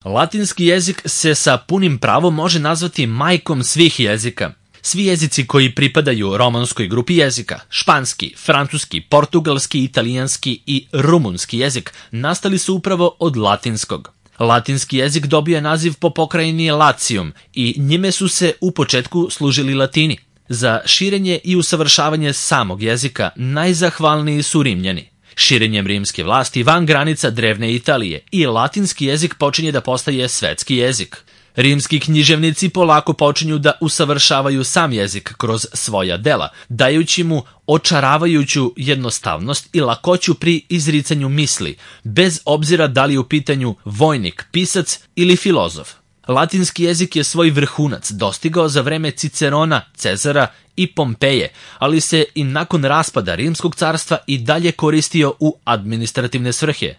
Latinski jezik se sa punim pravom može nazvati majkom svih jezika. Svi jezici koji pripadaju romanskoj grupi jezika, španski, francuski, portugalski, italijanski i rumunski jezik, nastali su upravo od latinskog. Latinski jezik dobio je naziv po pokrajini Latium i njime su se u početku služili Latini. Za širenje i usavršavanje samog jezika najzahvalniji su Rimljani. Širenjem rimske vlasti van granica drevne Italije i latinski jezik počinje da postaje svetski jezik. Rimski književnici polako počinju da usavršavaju sam jezik kroz svoja dela, dajući mu očaravajuću jednostavnost i lakoću pri izricanju misli, bez obzira da li je u pitanju vojnik, pisac ili filozof. Latinski jezik je svoj vrhunac dostigao za vreme Cicerona, Cezara i Pompeje, ali se i nakon raspada Rimskog carstva i dalje koristio u administrativne svrhe.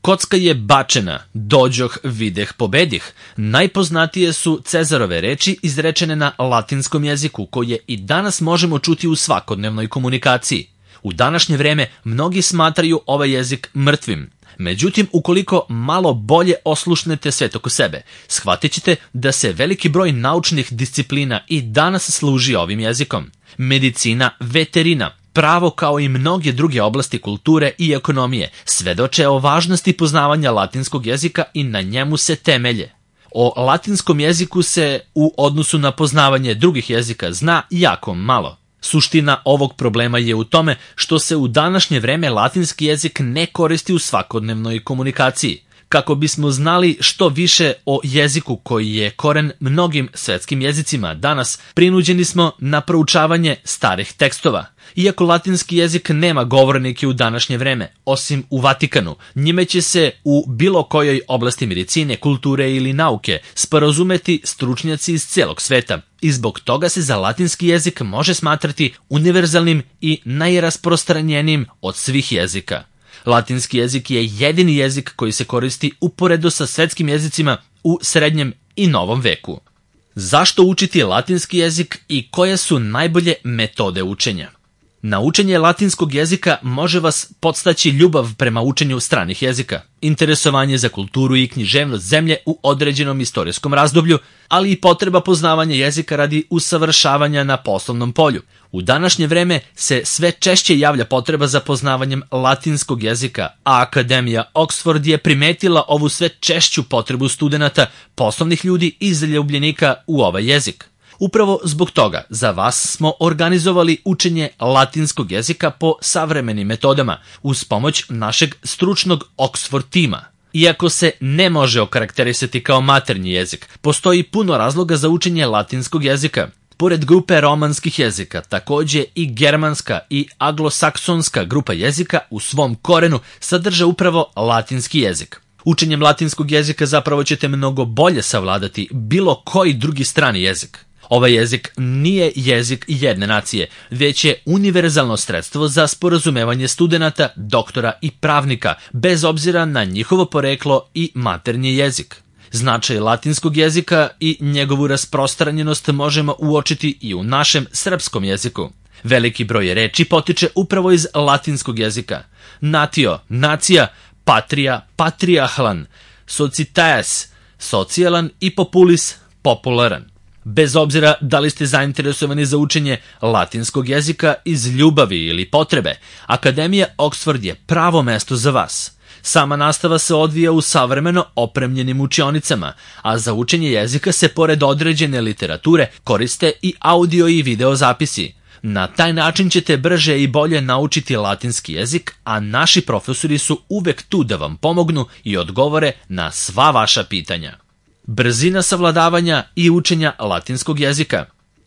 Kocka je bačena, dođoh, videh, pobedih. Najpoznatije su Cezarove reči izrečene na latinskom jeziku, koje i danas možemo čuti u svakodnevnoj komunikaciji. U današnje vreme mnogi smatraju ovaj jezik mrtvim. Međutim, ukoliko malo bolje oslušnete svet oko sebe, shvatit ćete da se veliki broj naučnih disciplina i danas služi ovim jezikom. Medicina, veterina, pravo kao i mnoge druge oblasti kulture i ekonomije svedoče o važnosti poznavanja latinskog jezika i na njemu se temelje. O latinskom jeziku se u odnosu na poznavanje drugih jezika zna jako malo. Suština ovog problema je u tome što se u današnje vreme latinski jezik ne koristi u svakodnevnoj komunikaciji. Kako bismo znali što više o jeziku koji je koren mnogim svetskim jezicima danas, prinuđeni smo na proučavanje starih tekstova. Iako latinski jezik nema govornike u današnje vreme, osim u Vatikanu, njime će se u bilo kojoj oblasti medicine, kulture ili nauke sporazumeti stručnjaci iz celog sveta i zbog toga se za latinski jezik može smatrati univerzalnim i najrasprostranjenijim od svih jezika. Latinski jezik je jedini jezik koji se koristi uporedo sa svetskim jezicima u srednjem i novom veku. Zašto učiti latinski jezik i koje su najbolje metode učenja? Na učenje latinskog jezika može vas podstaći ljubav prema učenju stranih jezika, interesovanje za kulturu i književnost zemlje u određenom istorijskom razdoblju, ali i potreba poznavanja jezika radi usavršavanja na poslovnom polju. U današnje vreme se sve češće javlja potreba za poznavanjem latinskog jezika, a Akademija Oxford je primetila ovu sve češću potrebu studenata, poslovnih ljudi i zaljubljenika u ovaj jezik. Upravo zbog toga za vas smo organizovali učenje latinskog jezika po savremenim metodama uz pomoć našeg stručnog Oxford tima. Iako se ne može okarakterisati kao maternji jezik, postoji puno razloga za učenje latinskog jezika. Pored grupe romanskih jezika, takođe i germanska i anglosaksonska grupa jezika u svom korenu sadrže upravo latinski jezik. Učenjem latinskog jezika zapravo ćete mnogo bolje savladati bilo koji drugi strani jezik. Ovaj jezik nije jezik jedne nacije, već je univerzalno sredstvo za sporazumevanje studenata, doktora i pravnika, bez obzira na njihovo poreklo i maternji jezik. Značaj latinskog jezika i njegovu rasprostranjenost možemo uočiti i u našem srpskom jeziku. Veliki broj reči potiče upravo iz latinskog jezika. Natio, nacija, patria, patriahlan, societas, socijalan i populis, popularan. Bez obzira da li ste zainteresovani za učenje latinskog jezika iz ljubavi ili potrebe, Akademija Oxford je pravo mesto za vas. Sama nastava se odvija u savremeno opremljenim učionicama, a za učenje jezika se pored određene literature koriste i audio i video zapisi. Na taj način ćete brže i bolje naučiti latinski jezik, a naši profesori su uvek tu da vam pomognu i odgovore na sva vaša pitanja. Brzina savladavanja i učenja latinskog jezika.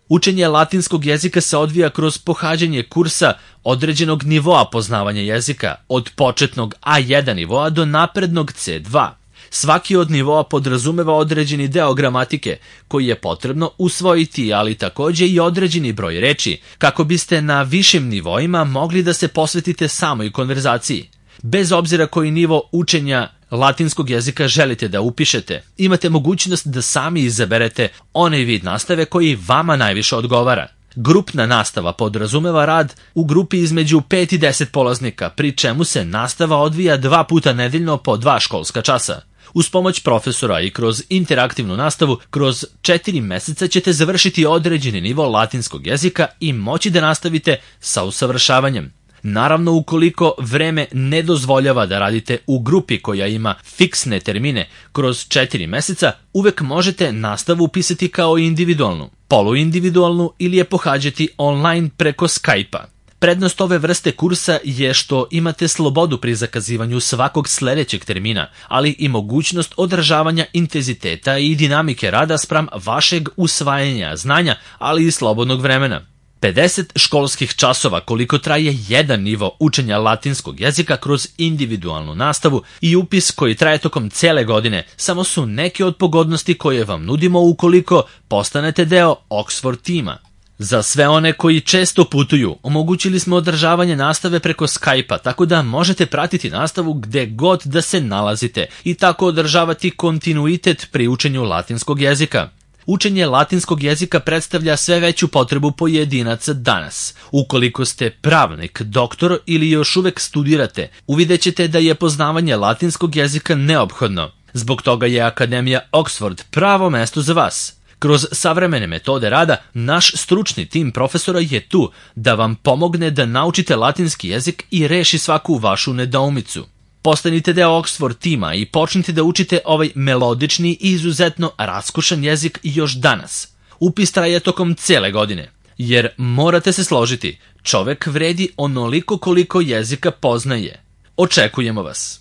Učenje latinskog jezika se odvija kroz pohađanje kursa određenog nivoa poznavanja jezika, od početnog A1 nivoa do naprednog C2. Svaki od nivoa podrazumeva određeni deo gramatike koji je potrebno usvojiti, ali takođe i određeni broj reči, kako biste na višim nivoima mogli da se posvetite samoj konverzaciji. Bez obzira koji nivo učenja latinskog jezika želite da upišete, imate mogućnost da sami izaberete onaj vid nastave koji vama najviše odgovara. Grupna nastava podrazumeva rad u grupi između 5 i 10 polaznika, pri čemu se nastava odvija 2 puta nedeljno po 2 školska časa. Uz pomoć profesora i kroz interaktivnu nastavu, kroz 4 meseca ćete završiti određeni nivo latinskog jezika i moći da nastavite sa usavršavanjem. Naravno, ukoliko vreme ne dozvoljava da radite u grupi koja ima fiksne termine kroz 4 meseca, uvek možete nastavu upisati kao individualnu, poluindividualnu ili je pohađati online preko Skype-a. Prednost ove vrste kursa je što imate slobodu pri zakazivanju svakog sledećeg termina, ali i mogućnost održavanja intenziteta i dinamike rada spram vašeg usvajanja znanja, ali i slobodnog vremena. 50 školskih časova koliko traje jedan nivo učenja latinskog jezika kroz individualnu nastavu i upis koji traje tokom cele godine samo su neke od pogodnosti koje vam nudimo ukoliko postanete deo Oxford tima. Za sve one koji često putuju, omogućili smo održavanje nastave preko Skype-a, tako da možete pratiti nastavu gde god da se nalazite i tako održavati kontinuitet pri učenju latinskog jezika. Učenje latinskog jezika predstavlja sve veću potrebu pojedinaca danas. Ukoliko ste pravnik, doktor ili još uvek studirate, uvidećete da je poznavanje latinskog jezika neophodno. Zbog toga je Akademija Oxford pravo mesto za vas. Kroz savremene metode rada, naš stručni tim profesora je tu da vam pomogne da naučite latinski jezik i reši svaku vašu nedoumicu. Postanite deo Oxford tima i počnite da učite ovaj melodični i izuzetno raskošan jezik još danas. Upis traje tokom cele godine, jer morate se složiti, čovek vredi onoliko koliko jezika poznaje. Očekujemo vas!